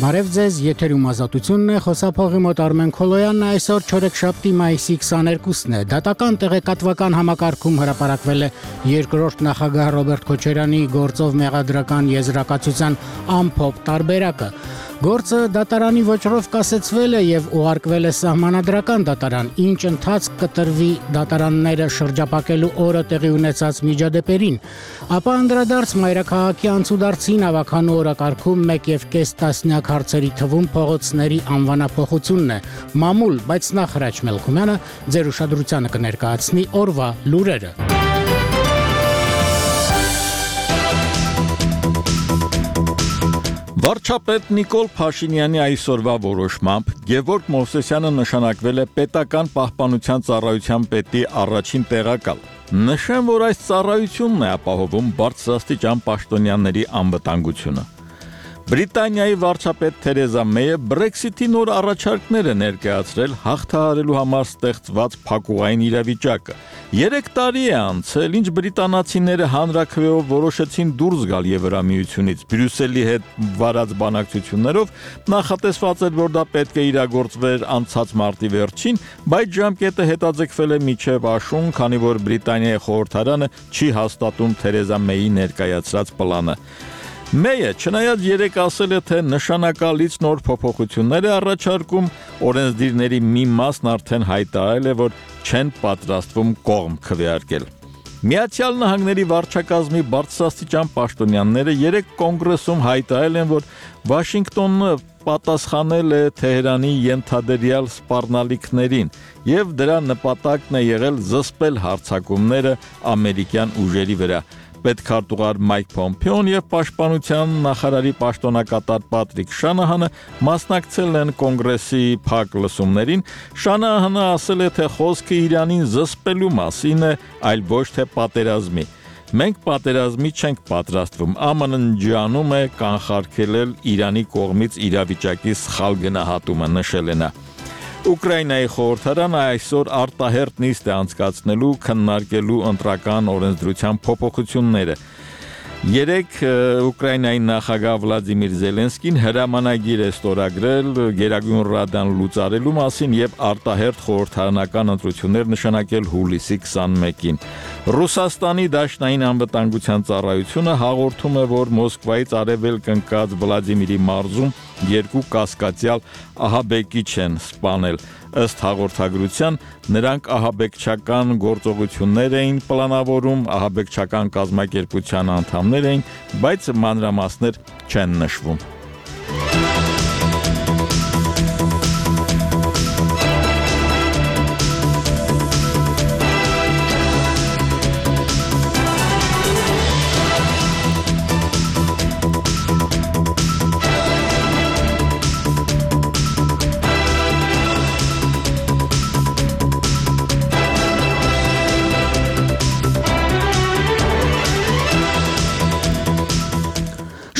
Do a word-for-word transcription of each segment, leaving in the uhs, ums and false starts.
Բարև ձեզ, եթերում ազատությունն է, խոսափողի մոտ Արմեն Քոլոյանն է, այսօր չորեքշաբթի մայիսի քսաներկուսն է։ Դատական տեղեկատվական համակարգում հրապարակվել է երկրորդ նախագահ Ռոբերտ Քոչարյանի գործով մեղադրական եզրակացության ամփոփ տարբերակը։ Գործը դատարանի ոճրով կասեցվել է եւ ուղարկվել է սահմանադրական դատարան, ինչ ընթացք կտրվի դատարանները շրջապակելու օրը տեղի ունեցած միջադեպերին, ապա անդրադարձ մայրաքաղաքի անցուդարձին ավականու օրակարգում մեկ եւ կես տասնյակ հարցերի թվում փողոցների անվանափոխությունն է, մամուլ, բայց նախ Հրաչ Մելքումյանը ձեր ուշադրությանը կներկայացնի օրվա լուրերը։ Վարչապետ Նիկոլ Փաշինյանի այսօրվա որոշմամբ Գևորգ Մովսեսյանը նշանակվել է պետական պահպանության ծառայության պետի առաջին տեղակալ։ Նշեմ, որ այս ծառայությունն է ապահովում բարձրաստիճան պաշտոնյաների անվտանգությունը։ Բրիտանիայի վարչապետ Թերեզա Մեյը Brexit-ի նոր առաջարկներ է ներկայացրել հաղթահարելու համար ստեղծված փակուղային իրավիճակը։ Երեք տարի է անցել, ինչ բրիտանացիները հանրաքվեով որոշեցին դուրս գալ Եվրամիությունից։ Բրյուսելի հետ վարած բանակցություններով նախատեսված էր, որ դա պետք է իրագործվեր անցած մարտի վերջին, բայց ժամկետը հետաձգվել է մինչև աշուն, քանի որ Բրիտանիայի խորհրդարանը չի հաստատում Թերեզա Մեյի ներկայացրած պլանը։ Մեյը չնայած երեք ասել է, թե նշանակալից նոր փոփոխություններ է առաջարկում, օրենսդիրների մի մասն արդեն հայտարարել է, որ չեն պատրաստվում կողմ քվեարկել։ Միացյալ Նահանգների վարչակազմի բարձրաստիճան պաշտոնյաները երեք կոնգրեսում հայտարարել են, որ Վաշինգտոնը պատասխանել է Թեհրանի ենթադրյալ սպառնալիքներին եւ դրա նպատակն է եղել զսպել հարձակումները ամերիկյան ուժերի վրա։ Պետքարտուղար Մայք Պոմպեոն եւ Պաշտպանության նախարարի պաշտոնակատար Պատրիկ Շանահանը մասնակցել են կոնգրեսի փակ լսումներին։ Շանահանը ասել է, թե խոսքը Իրանին զսպելու մասին է, այլ ոչ թե պատերազմի։ Մենք պատերազմի չենք պատրաստվում, ԱՄՆ-ն ջանում է կանխարգելել Իրանի կողմից իրավիճակի սխալ գնահատումը, նշել է նա։ Ուկրաինայի խորհրդարանը այսօր արտահերթ նիստ է անցկացնելու քննարկելու ընտրական օրենսդրության փոփոխությունները։ Երեք Ուկրաինայի նախագահ Վլադիմիր Զելենսկին հրամանագիր է ստորագրել Գերագույն Ռադան լուծարելու մասին եւ արտահերթ խորհրդարանական ընտրություններ նշանակել հուլիսի քսանմեկին։ Ռուսաստանի Դաշնային անվտանգության ծառայությունը հաղորդում է, որ Մոսկվայից արևելք ընկած Վլադիմիրի մարզում երկու կասկածյալ ահաբեկիչ են սպանել։ Ըստ հաղորդագրության նրանք ահաբեկչական գործողություններ էին պլանավորում, ահաբեկչական կազմակերպության անդամներ էին, բայց մանրամասներ չեն նշվում։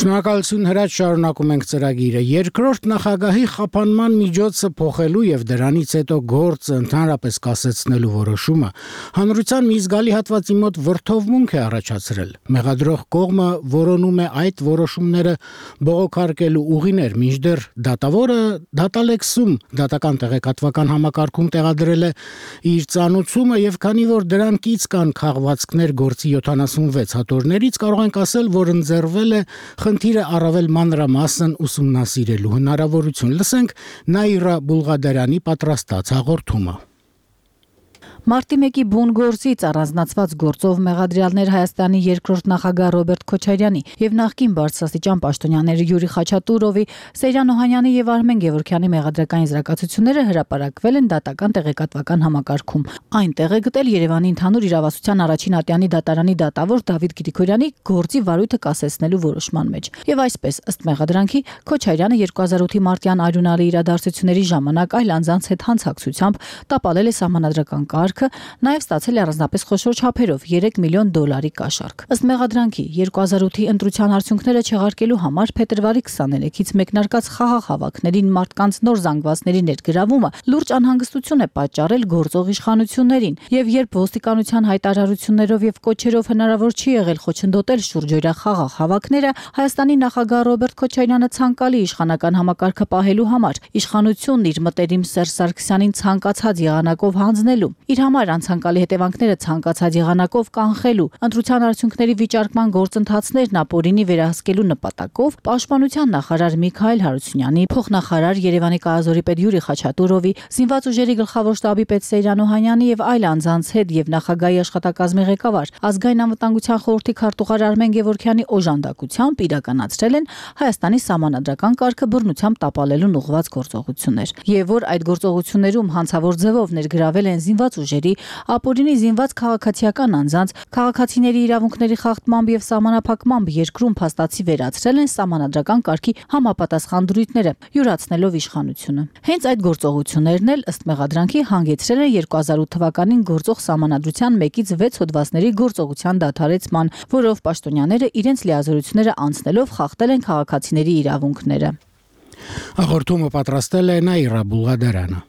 Շնորհակալություն Հրաչ, շարունակում ենք ծրագիրը։ Երկրորդ նախագահի խափանման միջոցը փոխելու եւ դրանից հետո գործը ընդհանրապես կասեցնելու որոշումը հանրության մի զգալի հատվածի մոտ վրդովմունք է առաջացրել։ Մեղադրող կողմը որոնում է այդ որոշումները բողոքարկելու ուղիներ, մինչդեռ դատավորը դատալեքսում դատական տեղեկատվական համակարգում տեղադրել է իր ծանուցումը եւ քանի որ դրանքից կան քաղվածքներ գործի յոթանասունվեց հատորներից, կարող ենք ասել, որ ընձեռվել է խնդիրը առավել մանրամասն ուսումնասիրելու հնարավորություն։ Լսենք Նաիրա Բուլղադարյանի պատրաստած հաղորդումը։ Մարտի մեկի բուն գործից առանձնացված գործով մեղադրյալներ Հայաստանի երկրորդ նախագահ Ռոբերտ Քոչարյանի եւ նախկին բարձրաստիճան պաշտոնյաները Յուրի Խաչատուրովի, Սեյրան Օհանյանի եւ Արմեն Գևորգյանի մեղադրական եզրակացությունները հրապարակվել են դատական տեղեկատվական համակարգում։ Այնտեղ է գտել Երևանի ընդհանուր իրավասության առաջին ատյանի դատարանի դատավոր Դավիթ Գրիգորյանի գործի վարույթը կասեցնելու որոշման մեջ։ Եվ այսպես, ըստ մեղադրանքի, Քոչարյանը երկու հազար ութի մարտյան արյունալի իրադարձությունների ժամանակ այլ անձանց հետ հանցակցությամբ տապալել է սահմանադրական կարգ, համակարգը նաև ստացել է առանձնապես խոշոր չափերով երեք միլիոն դոլարի կաշառք։ Ըստ մեղադրանքի երկու հազար ութի ընտրության արդյունքները չեղարկելու համար փետրվարի քսաներեքից մեկնարկած խաղաղ հավաքներին մարդկանց նոր զանգվածների ներգրավումը լուրջ անհանգստություն է պատճառել գործող իշխանություններին, եւ երբ ոստիկանության հայտարարություններով եւ կոչերով հնարավոր չի եղել խոչընդոտել շուրջօրյա խաղաղ հավաքները, Հայաստանի նախագահ Ռոբերտ Քոչարյանը ցանկալի իշխանական համակարգը պահելու համար իշխանությունն իր մտերիմ Սերժ Սարգսյանին ցանկացած եղանակով հանձնելու, իր համար անցանկալի հետևանքները ցանկացած եղանակով կանխելու, ընտրության արդյունքների վիճարկման գործընթացներն ապօրինի վերահսկելու նպատակով Պաշտպանության նախարար Միքայել Հարությունյանի, փոխնախարար Երևանի կայազորի պետ Յուրի Խաչատուրովի, Զինված ուժերի գլխավոր շտաբի պետ Սեյրան Օհանյանի եւ այլ անձանց հետ եւ նախագահի աշխատակազմի ղեկավար Ազգային անվտանգության խորհրդի քարտուղար Արմեն Գևորգյանի օժանդակությամբ իրականացրել են Հայաստանի սահմանադրական կարգը բռնությամբ տապալելուն ուղղված գործողություններ, եւ որ այդ գործողություններում հանցավոր ձևով ներգրավել են զինված ուժերի, ապօրինի զինված քաղաքացիական անձանց, քաղաքացիների իրավունքների խախտմամբ եւ սահմանափակմամբ երկրում փաստացի վերացրել են սահմանադրական կարգի համապատասխան դրույթները, յուրացնելով իշխանությունը։ Հենց այդ գործողություններն էլ ըստ մեղադրանքի հանգեցրել են երկու հազար ութ թվականին գործող սահմանադրության մեկից վեց հոդվածների գործողության դադարեցման, որով պաշտոնյաները իրենց լիազորությունները անցնելով խախտել են քաղաքացիների իրավունքները։ Հաղորդումը պատրաստել է Նաիրա Բուլղադարյանը։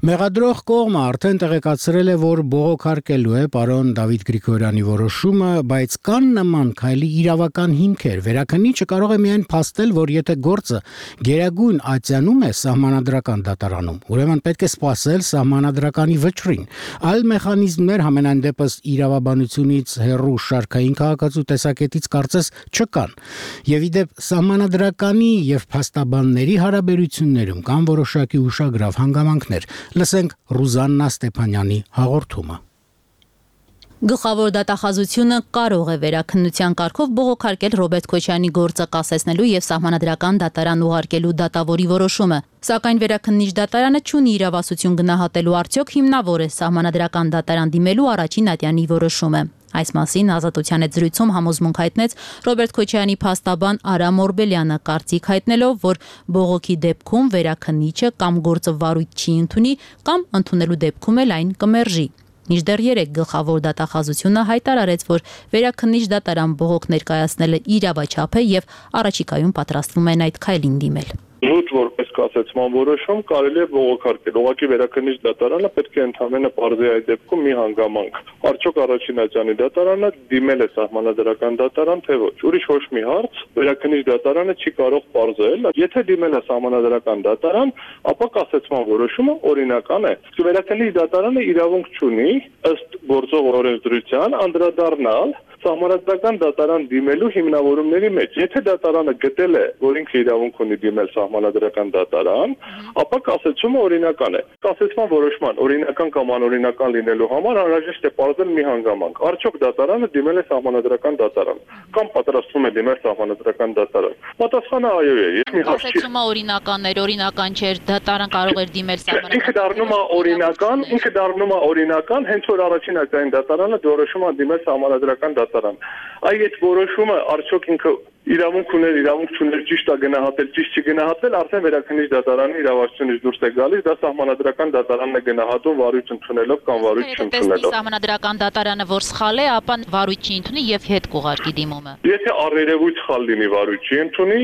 Մեղադրող կողմը արդեն տեղեկացրել է, որ բողոքարկելու է պարոն Դավիթ Գրիգորյանի որոշումը, բայց կան նման քայլի իրավական հիմքեր։ Վերաքննիչը կարող է միայն փաստել, որ եթե գործը գերագույն ատյանում է սահմանադրական դատարանում, ուրեմն պետք է սպասել սահմանադրականի վճռին։ Այլ մեխանիզմներ համենայն դեպս իրավաբանությունից հեռու շարքային քաղաքացու տեսակետից կարծես չկան։ Եվ ի դեպ սահմանադրականի եւ փաստաբանների հարաբերություններում կան որոշակի ուշագրավ հանգամանքներ։ Լսենք Ռուզաննա Ստեփանյանի հաղորդումը։ Գլխավոր դատախազությունը կարող է վերաքննության կարգով բողոքարկել Ռոբերտ Քոչարյանի գործը կասեցնելու եւ սահմանադրական դատարան ուղարկելու դատավորի որոշումը, սակայն վերաքննիչ դատարանը չունի իրավասություն գնահատելու արդյոք հիմնավոր է սահմանադրական դատարան դիմելու առաջին ատյանի որոշումը։ Այս մասին Ազատության հետ զրույցում համոզմունք հայտնեց Ռոբերտ Քոչարյանի փաստաբան Արամ Օրբելյանը, կարծիք հայտնելով, որ բողոքի դեպքում վերաքննիչը կամ գործը վարույթ չի ընդունի, կամ ընդունելու դեպքում էլ այն կմերժի։ Մինչդեռ երեք գլխավոր դատախազությունը հայտարարեց, որ վերաքննիչ դատարան բողոք ներկայացնելը իրավաչափ է եւ առաջիկայում պատրաստվում են այդ քայլին դիմել։ Զուտ որպես կասեցման որոշում կարելի է բողոքարկել։ Ուղղակի վերաքննիչ դատարանը պետք է ընդհանրապես բարձի այդ դեպքում մի հանգամանք։ Արդյոք առաջին ատյանի դատարանը դիմել է սահմանադրական դատարան, թե ոչ։ Ուրիշ ոչ մի հարց վերաքննիչ դատարանը չի կարող բարձել։ Եթե դիմել է սահմանադրական դատարան, ապա կասեցման որոշումը օրինական է։ Վերաքննիչ դատարանը իրավունք չունի ըստ գործող օրենսդրության անդրադառնալ սահմանադրական դատարան դիմելու հիմնավորումների մեջ։ Եթե դատարանը գտել է, որ ինքը իրավունք ունի դիմել սահմանադրական դատարան, ապա կասեցումը օրինական է։ Կասեցման որոշման օրինական կամ անօրինական լինելու համար անհրաժեշտ է պարզել մի հանգամանք։ Արդյոք դատարանը դիմել է սահմանադրական դատարան կամ պատրաստվում է դիմել սահմանադրական դատարան։ Պատասխանը այո է։ Ես մի հարց չի։ Կասեցումը օրինական էր, օրինական չէր, դատարան կարող էր դիմել սահմանադրական։ Ինքը դառնում է օրինական, ինքը դառնում է օրինական, հենց որ առաջին ատյանի դատարանը որոշում է դիմել սահմանադրական դատարան։ Այ այդ որոշումը արդյոք ինքը իրավունք ուներ, իրավունք չուներ, ճիշտ է գնահատել, ճիշտ չգնահատել, արդեն վերաքննիչ դատարանի իրավասությունից դուրս է գալիս, դա սահմանադրական դատարանն է գնահատում վարույթ ընդունելով կամ վարույթ չընդունելով։ Սահմանադրական դատարանը որ սխալ է, ապա վարույթ չի ընդունի եւ հետ կուղարկի դիմումը։ Եթե առերևույթ սխալ լինի, վարույթ չի ընդունի,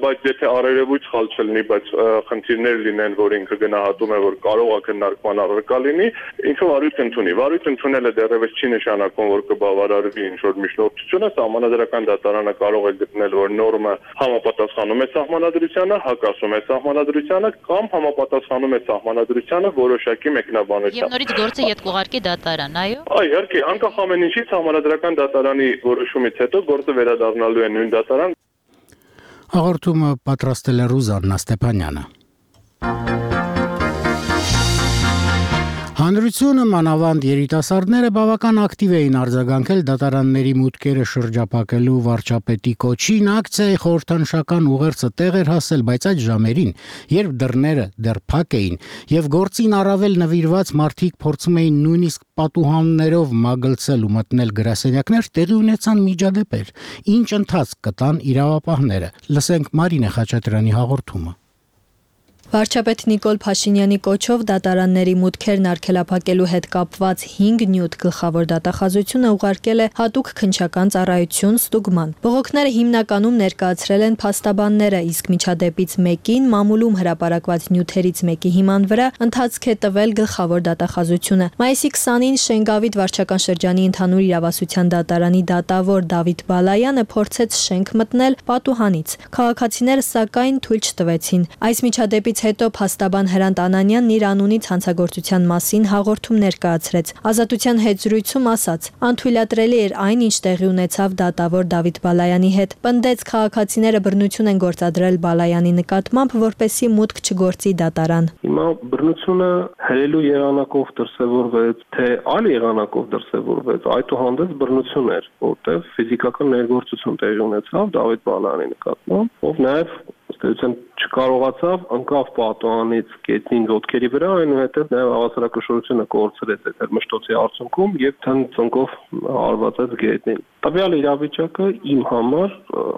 բայց եթե առերևույթ սխալ չլինի, բայց խնդիրներ լինեն, որ ինքը գնահատում է, որ կարող է քննարկման առարկա լինի, ինքը վարույթ ընդունի։ Վարույթ ընդունելը դեռևս չի նշանակում, որ կբավարարվի ինչ-որ միջնորդությունը, սահմանադրական դատարանը կարող է գտնել, որ նորմը համապատասխանում է սահմանադրությանը, հակասում է սահմանադրությանը կամ համապատասխանում է սահմանադրությանը որոշակի մեկնաբանությամբ։ Եվ նորից գործը ետ կուղարկի դատարան, այո։ Այո, իհարկե, անկախ ամեն ինչից սահմանադրական դատարանի որոշումից հետո գործը վերադառնալու է նույն դատարան։ Հաղորդումը պատրաստել է Ռուզաննա Ստեփանյանը։ Հանրությունը, մանավանդ երիտասարդները բավական ակտիվ էին արձագանքել դատարանների մուտքերը շրջափակելու վարչապետի կոչին, ակցիայի խորհրդանշական ուղերձը տեղ էր հասել, բայց այդ ժամերին, երբ դռները դեռ փակ էին եւ գործին առավել նվիրված մարդիկ փորձում էին նույնիսկ պատուհաններով մագլցել ու մտնել գրասենյակներ, տեղի ունեցան միջադեպեր, ինչ ընթացք կտան իրավապահները։ Լսենք Մարինե Խաչատրյանի հաղորդումը։ Վարչապետ Նիկոլ Փաշինյանի կոչով դատարանների մուտքերն արգելափակելու հետ կապված հինգ նյութ գլխավոր դատախազությունը ուղարկել է հատուկ քննչական ծառայություն ստուգման։ Բողոքները հիմնականում ներկայացրել են փաստաբանները, իսկ միջադեպից մեկին մամուլում հրապարակված նյութերից մեկի հիման վրա ընթացք է տվել գլխավոր դատախազությունը։ Մայիսի քսանին Շենգավիթ վարչական շրջանի ընդհանուր իրավասության դատարանի դատավոր Դավիթ Բալայանը փորձեց շենք մտնել պատուհանից։ Քաղաքացիները սակայն թույլ չտվեցին։ Այս միջադեպից հետո փաստաբան Հրանտ Անանյանն իր անունից հանցագործության մասին հաղորդում ներկայացրեց։ Ազատության հետ զրույցում ասաց. «Անթույլատրելի էր այն, ինչ տեղի ունեցավ դատավոր Դավիթ Բալայանի հետ։ Պնդեց քաղաքացիները բռնություն են գործադրել Բալայանի նկատմամբ, որպեսզի մուտք չգործի դատարան»։ Հիմա բռնությունը հրելու եղանակով դրսևորվեց, թե այլ եղանակով դրսևորվեց, այդուհանդերձ բռնություն էր, որտեղ ֆիզիկական ներգործություն տեղի ունեցավ Դավիթ Բալայանի նկատմամբ, ով նաև ըստ չկարողացավ անկավ պատուհանից գետնին ոտքերի վրա, այնուհետև նաև հավասարակշռությունը կորցրեց այդ մշտոցի արդյունքում եւ թնծնկով հարվածեց գետնին։ Տվյալ իրավիճակը իմ համար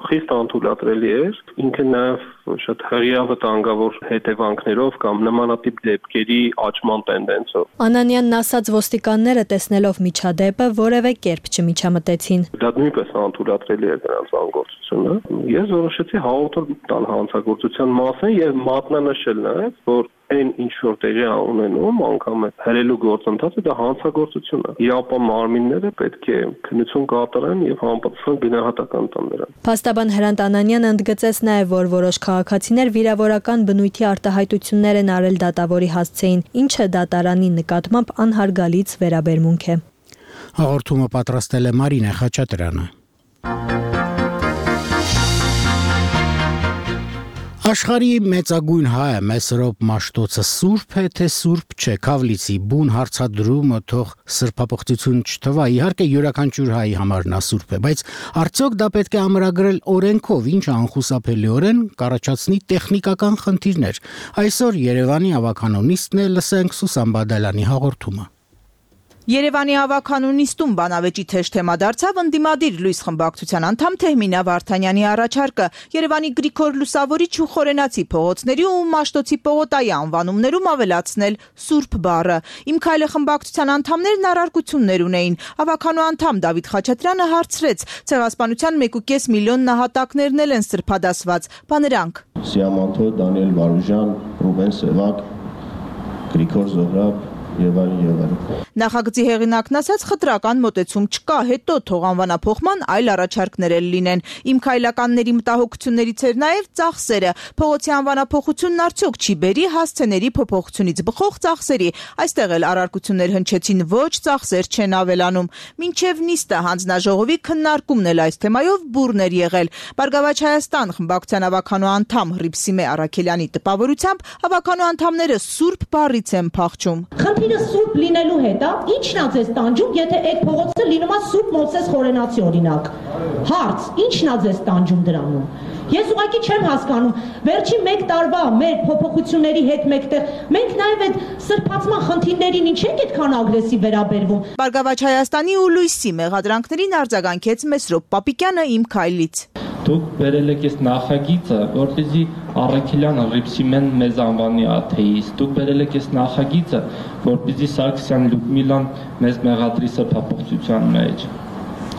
խիստ անթույլատրելի էր, ինքը նաև շատ հրյա վտանգավոր հետևանքներով կամ նմանատիպ դեպքերի աճման տենդենսով։ Անանյանն ասաց, ոստիկանները տեսնելով միջադեպը որևէ կերպ չմիջամտեցին։ Դա նույնպես անթույլատրելի էր նրանց անգործությունը։ Ես որոշեցի հաղորդել տալ հանցագործության մասին եւ մատնանշել նաեւ, որ այն ինչ որ տեղի ունենում անգամ է հրելու գործընթացը դա հանցագործություն է։ Իապա մարմինները պետք է քննություն կատարեն եւ համապատասխան գնահատական տան դրան։ Փաստաբան Հրանտ Անանյանը ընդգծեց նաեւ, որ որոշ քաղաքացիներ վիրավորական բնույթի արտահայտություններ են արել դատավորի հասցեին, ինչը դատարանի նկատմամբ անհարգալից վերաբերմունք է։ Հաղորդումը պատրաստել է Մարինե Խաչատրյանը։ Աշխարհի մեծագույն հայը Մեսրոպ Մաշտոցը սուրբ է, թե սուրբ չէ, Քավլիցի բուն հարցադրումը թող սրբապղծություն չթվա, իհարկե յուրաքանչյուր հայի համար նա սուրբ է, բայց արդյոք դա պետք է ամրագրել օրենքով, ինչը անխուսափելիորեն կառաջացնի տեխնիկական խնդիրներ։ Այսօր Երևանի ավականոնիստն է, լսենք Սուսան Բադալյանի հաղորդումը։ Երևանի ավականունիստում բանավեճի թեժ թեմա դարձավ ընդդիմադիր լույս խմբակցության անդամ Թեհմինա Վարդանյանի առաջարկը Երևանի Գրիգոր Լուսավորիչ ու Խորենացի փողոցների ու Մաշտոցի պողոտայի անվանումներում ավելացնել Սուրբ բառը։ Իմ քայլը խմբակցության անդամներն առարկություններ ունեին։ Ավականու անդամ Դավիթ Խաչատրյանը հարցրեց. ցեղասպանության մեկ ու կես միլիոն նահատակներն էլ են սրբադասված, բաներանք։ Սիամանթո, Դանիել Վարուժան, Ռուբեն Սևակ, Գրիգոր Զոհրաբ եւ այլն եւ այլն։ Նախագծի հեղինակն ասաց, խտրական մոտեցում չկա, հետո թող անվանափոխման այլ առաջարկներ էլ լինեն։ Իմ քայլականների մտահոգություններից էր նաեւ ծախսերը։ Փողոցի անվանափոխությունն արդյոք չի բերի հասցեների փոփոխությունից բխող ծախսերի։ Այստեղ էլ առարկություններ հնչեցին, ոչ ծախսեր չեն ավելանում։ Մինչև նիստը հանձնաժողովի քննարկումն էլ այս թեմայով բուռն էր եղել։ Բարգավաճ Հայաստան խմբակցության ավականու անդամ Հռիփսիմե Արաքելյանի տպավորությամբ ավականու անդամները սուրբ բառից են փախչում։ Խնդիրը սուրբ լինելու հետ է, ի՞նչն է ձեզ տանջում, եթե այդ փողոցը լինում է Սուրբ Մովսես Խորենացի օրինակ։ Հարց, ի՞նչն է ձեզ տանջում դրանում։ Ես ուղղակի չեմ հասկանում, վերջին մեկ տարվա մեր փոփոխությունների հետ մեկտեղ մենք նաև այդ սրբացման խնդիրներին ինչ ենք այդքան ագրեսիվ վերաբերվում։ Բարգավաճ Հայաստանի ու Լույսի մեղադրանքներին արձագանքեց Մեսրոպ Պապիկյանը իմ քայլից։ Դուք բերել եք այս նախագիծը, որպեսզի Արաքելյանը Հռիփսիմեն մեզ անվանի աթեիստ։ Դուք բերել եք այս նախագիծը, որպեսզի Սարգսյան Լյուդմիլան մեզ մեղադրի սրբապղծության մեջ։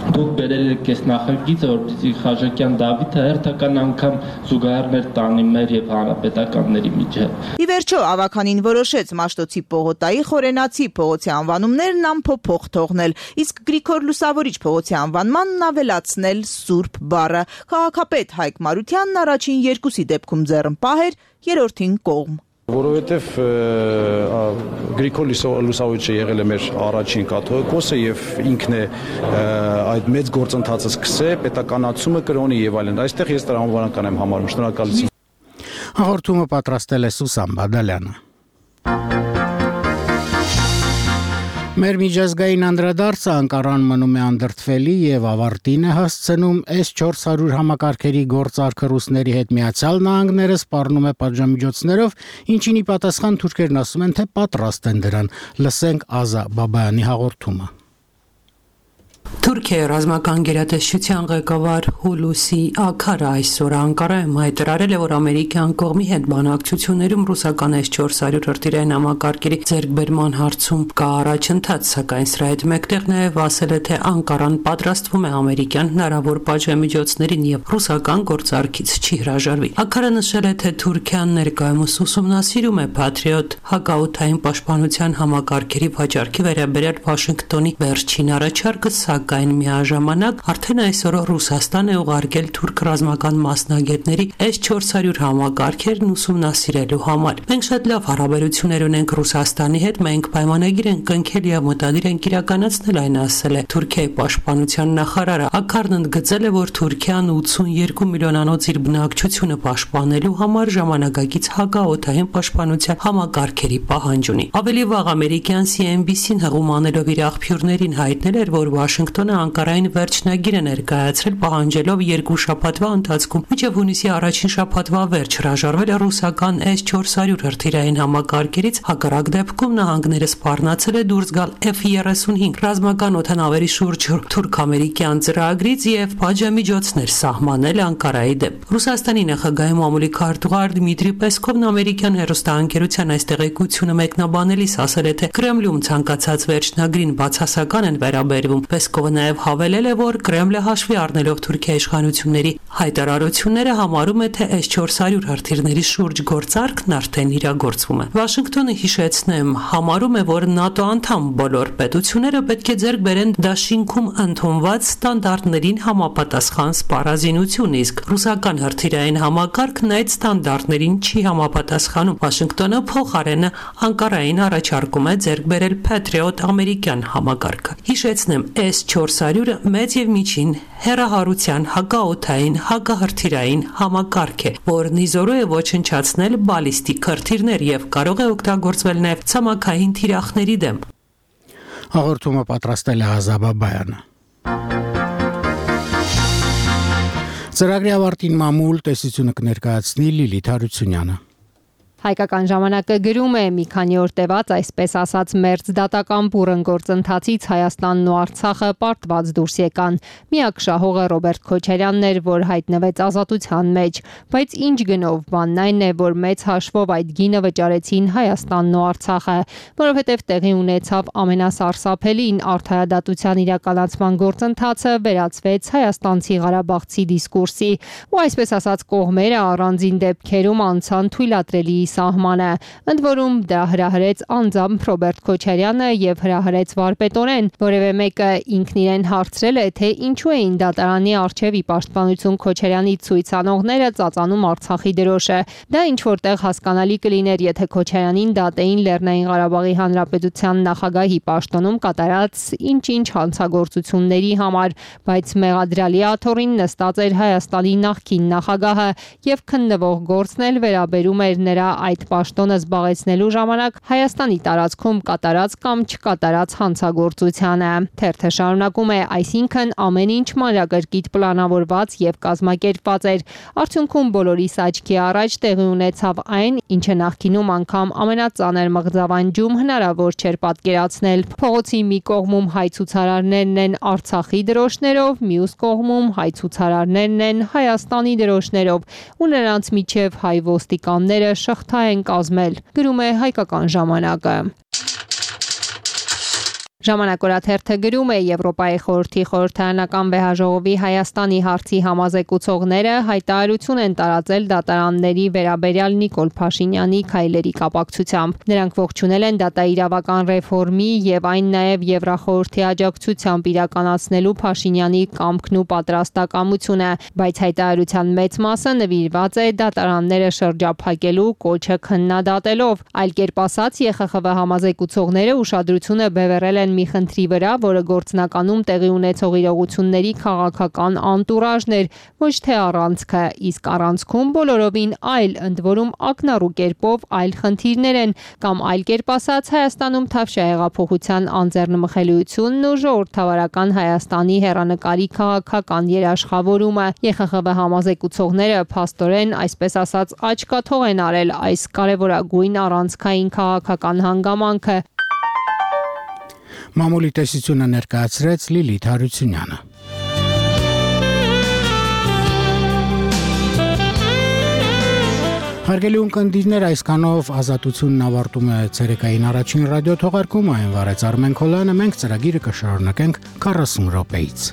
Դուք բերել եք այս նախագիծը, որպեսզի Խաչակյան Դավիթը հերթական անգամ զուգահեռներ տանի մեր եւ հանրապետականների միջեւ։ Ի վերջո ավականին որոշեց Մաշտոցի պողոտայի Խորենացի փողոցի անվանումներն անփոփոխ թողնել, իսկ Գրիգոր Լուսավորիչ փողոցի անվանմանն ավելացնել Սուրբ բառը։ Քաղաքապետ Հայկ Մարությանն առաջին երկուսի դեպքում ձեռնպահ էր, երրորդին կողմ։ Որովհետև Գրիգոր Լուսավորիչը եղել է մեր առաջին կաթողիկոսը եւ ինքն է այդ մեծ գործընթացը սկսել, պետականացումը կրոնի եւ այլն։ Այստեղ ես տրամաբանական եմ համարում։ Շնորհակալություն։ Հաղորդումը պատրաստել է Սուսան Բադալյանը։ Մեր միջազգային անդրադարձը Անկարան մնում է անդրդվելի եւ ավարտին է հասցնում էս չորս հարյուր համակարգերի գործարքը ռուսների հետ Միացյալ Նահանգները սպառնում է պատժամիջոցներով, ինչին ի պատասխան թուրքերն ասում են, թե պատրաստ են դրան։ Լսենք Ազա Բաբայանի հաղորդումը։ Թուրքիայի ռազմական գերատեսչության ղեկավար Հուլուսի Աքարը այսօր Անկարայում հայտարարել է, որ ամերիկյան կողմի հետ բանակցություններում ռուսական էս չորս հարյուր հրթիռային համակարգերի ձեռքբերման հարցում կա առաջընթաց, սակայն սրա հետ մեկտեղ նաև ասել է, թե Անկարան պատրաստվում է ամերիկյան հնարավոր պատժամիջոցներին եւ ռուսական գործարքից չի հրաժարվի։ Աքարը նշել է, թե Թուրքիան ներկայումս ուսումնասիրում է Patriot հակաօդային պաշտպանության համակարգերի վաճառքի վերաբերյալ Վաշինգտոնի վերջին առաջարկը, սակայն միաժամանակ արդեն այսօր Ռուսաստան է ուղարկել թուրք ռազմական մասնագետների էս չորս հարյուր համակարգերն ուսումնասիրելու համար։ Մենք շատ լավ հարաբերություններ ունենք Ռուսաստանի հետ, մենք պայմանագիր ենք կնքել եւ մտադիր ենք իրականացնել այն, ասել է Թուրքիայի պաշտպանության նախարարը։ Աքարն ընդգծել է, որ Թուրքիան ութսունյոթ միլիոնանոց իր բնակչությունը պաշտպանելու համար ժամանակակից հակաօդային պաշտպանության համակարգերի պահանջ ունի։ Ավելի վաղ ամերիկյան C N B C-ն հղում անելով իր աղբյուրներին հայտնել էր, որ Վաշինգտոնը Անկարային վերջնագիր է ներկայացրել, պահանջելով երկու շաբաթվա ընթացքում մինչև հունիսի առաջին շաբաթվա վերջ հրաժարվել ռուսական էս չորս հարյուր հրթիռային համակարգերից, հակառակ դեպքում նահանգները սպառնացել է դուրս գալ F thirty-five ռազմական օդանավերի շուրջ թուրք-ամերիկյան ծրագրից եւ պատժամիջոցներ սահմանել Անկարայի դեմ։ Ռուսաստանի նախագահի մամուլի քարտուղար Դմիտրի Պեսկովն ամերիկյան հեռուստաընկերության այս տեղեկությունը մեկնաբանելիս ասել է, թե Կրեմլում ցանկացած վերջնագրին բացասական են վերաբերվում։ Պեսկովը նաև հավելել է, որ Կրեմլը հաշվի առնելով Թուրքիայի իշխանությունների հայտարարությունները համարում է, թե էս չորս հարյուր հրթիռների շուրջ գործարքն արդեն իրագործվում է։ Վաշինգտոնը, հիշեցնեմ, համարում է, որ ՆԱՏՕ անդամ բոլոր պետությունները պետք է ձեռք բերեն դաշինքում ընդունված ստանդարտներին համապատասխան սպառազինություն, իսկ ռուսական հրթիռային համակարգն այդ ստանդարտներին չի համապատասխանում։ Վաշինգտոնը փոխարենը Անկարային առաջարկում է ձեռք բերել Patriot ամերիկյան համակարգը։ Հիշեցնեմ, էս չորս հարյուրը մեծ եւ միջին հեռահարության հակաօդային հակահրթիռային համակարգ է, որն իզորու է ոչնչացնել բալիստիկ հրթիռներ եւ կարող է օգտագործվել նաեւ ցամաքային թիրախների դեմ։ Հաղորդումը պատրաստել է Ազա Բաբայանը։ Ծրագրի ավարտին մամուլ տեսությունը կներկայացնի Լիլիթ Հարությունյանը։ Հայկական ժամանակը գրում է, մի քանի օր տևած այսպես ասած մերձ դատական բուռն գործընթացից Հայաստանն ու Արցախը պարտված դուրս եկան։ Միակ շահողը Ռոբերտ Քոչարյանն էր, որ հայտնվեց ազատության մեջ, բայց ինչ գնով, բանն այն է, որ մեծ հաշվով այդ գինը վճարեցին Հայաստանն ու Արցախը, որովհետև տեղի ունեցավ ամենասարսափելին արդարադատության իրականացման գործընթացը վերածվեց հայաստանցի ղարաբաղցի դիսկուրսի, ու այսպես ասած կողմերը առանձին դեպքերում անցան թույլատրելի սահմանը, ընդ որում դա հրահրեց անձամբ Ռոբերտ Քոչարյանը եւ հրահրեց վարպետորեն, որևէ մեկը ինքն իրեն հարցրել է, թե ինչու էին դատարանի արչեւ ի պաշտպանություն Քոչարյանի ցույցանողները ծածանում Արցախի դրոշը։ Դա ինչ որտեղ հասկանալի կլիներ, եթե Քոչարյանին դատեին Լեռնային Ղարաբաղի Հանրապետության նախագահի պաշտոնում կատարած ինչ-ինչ հանցագործությունների համար, բայց մեղադրյալի աթոռին նստած էր Հայաստանի նախկին նախագահը եւ քննվող գործն էլ վերաբերում էր նրա այդ պաշտոնը զբաղեցնելու ժամանակ Հայաստանի տարածքում կատարած կամ չկատարած հանցագործությանը։ Թերթը շարունակում է, այսինքն ամեն ինչ մանրակրկիտ պլանավորված եւ կազմակերպված էր։ Արդյունքում բոլորիս աչքի առաջ տեղի ունեցավ այն, ինչը նախկինում անգամ ամենածանր մղձավանջում հնարավոր չէր պատկերացնել։ Փողոցի մի կողմում հայ ցուցարարներն են Արցախի դրոշներով, մյուս կողմում հայ ցուցարարներն են Հայաստանի դրոշներով, ու նրանց միջև հայ ոստիկանները շղթա են կազմել, գրում է Հայկական ժամանակը։ Ժամանակ օրաթերթը գրում է, Եվրոպայի խորհրդի խորհրդարանական վեհաժողովի Հայաստանի հարցի համազեկուցողները հայտարարություն են տարածել դատարանների վերաբերյալ Նիկոլ Փաշինյանի քայլերի կապակցությամբ։ Նրանք ողջունել են դատաիրավական ռեֆորմի եւ այն նաեւ Եվրախորհրդի աջակցությամբ իրականացնելու Փաշինյանի կամքն ու պատրաստակամությունը, բայց հայտարարության մեծ մասը նվիրված է դատարանները շրջափակելու կոչը քննադատելով։ Այլ կերպ ասած, Ե Խ Խ V համազեկուցողները ուշադրությունը բևեռել են մի խնդրի վրա, որը գործնականում տեղի ունեցող իրողությունների քաղաքական անտուրաժն էր, ոչ թե առանցքը, իսկ առանցքում բոլորովին այլ, ընդ որում ակնառու կերպով այլ խնդիրներ են, կամ այլ կերպ ասած Հայաստանում Թավշյա հեղափոխության անձեռնմխելիությունն ու ժողովրդավարական Հայաստանի հեռանկարի քաղաքական երաշխավորումը։ Ե Խ Խ V համազեկուցողները փաստորեն, այսպես ասած, աչքաթող են արել այս կարևորագույն առանցքային քաղաքական հանգամանքը։ Մամուլի տեսությունը ներկայացրեց Լիլիթ Հարությունյանը։ Հարգելի ունկնդիրներ, այսքանով Ազատությունն ավարտում է ցերեկային առաջին ռադիո թողարկումը, այն վարեց Արմեն Քոլյանը, մենք ծրագիրը կշարունակենք քառասուն րոպեից։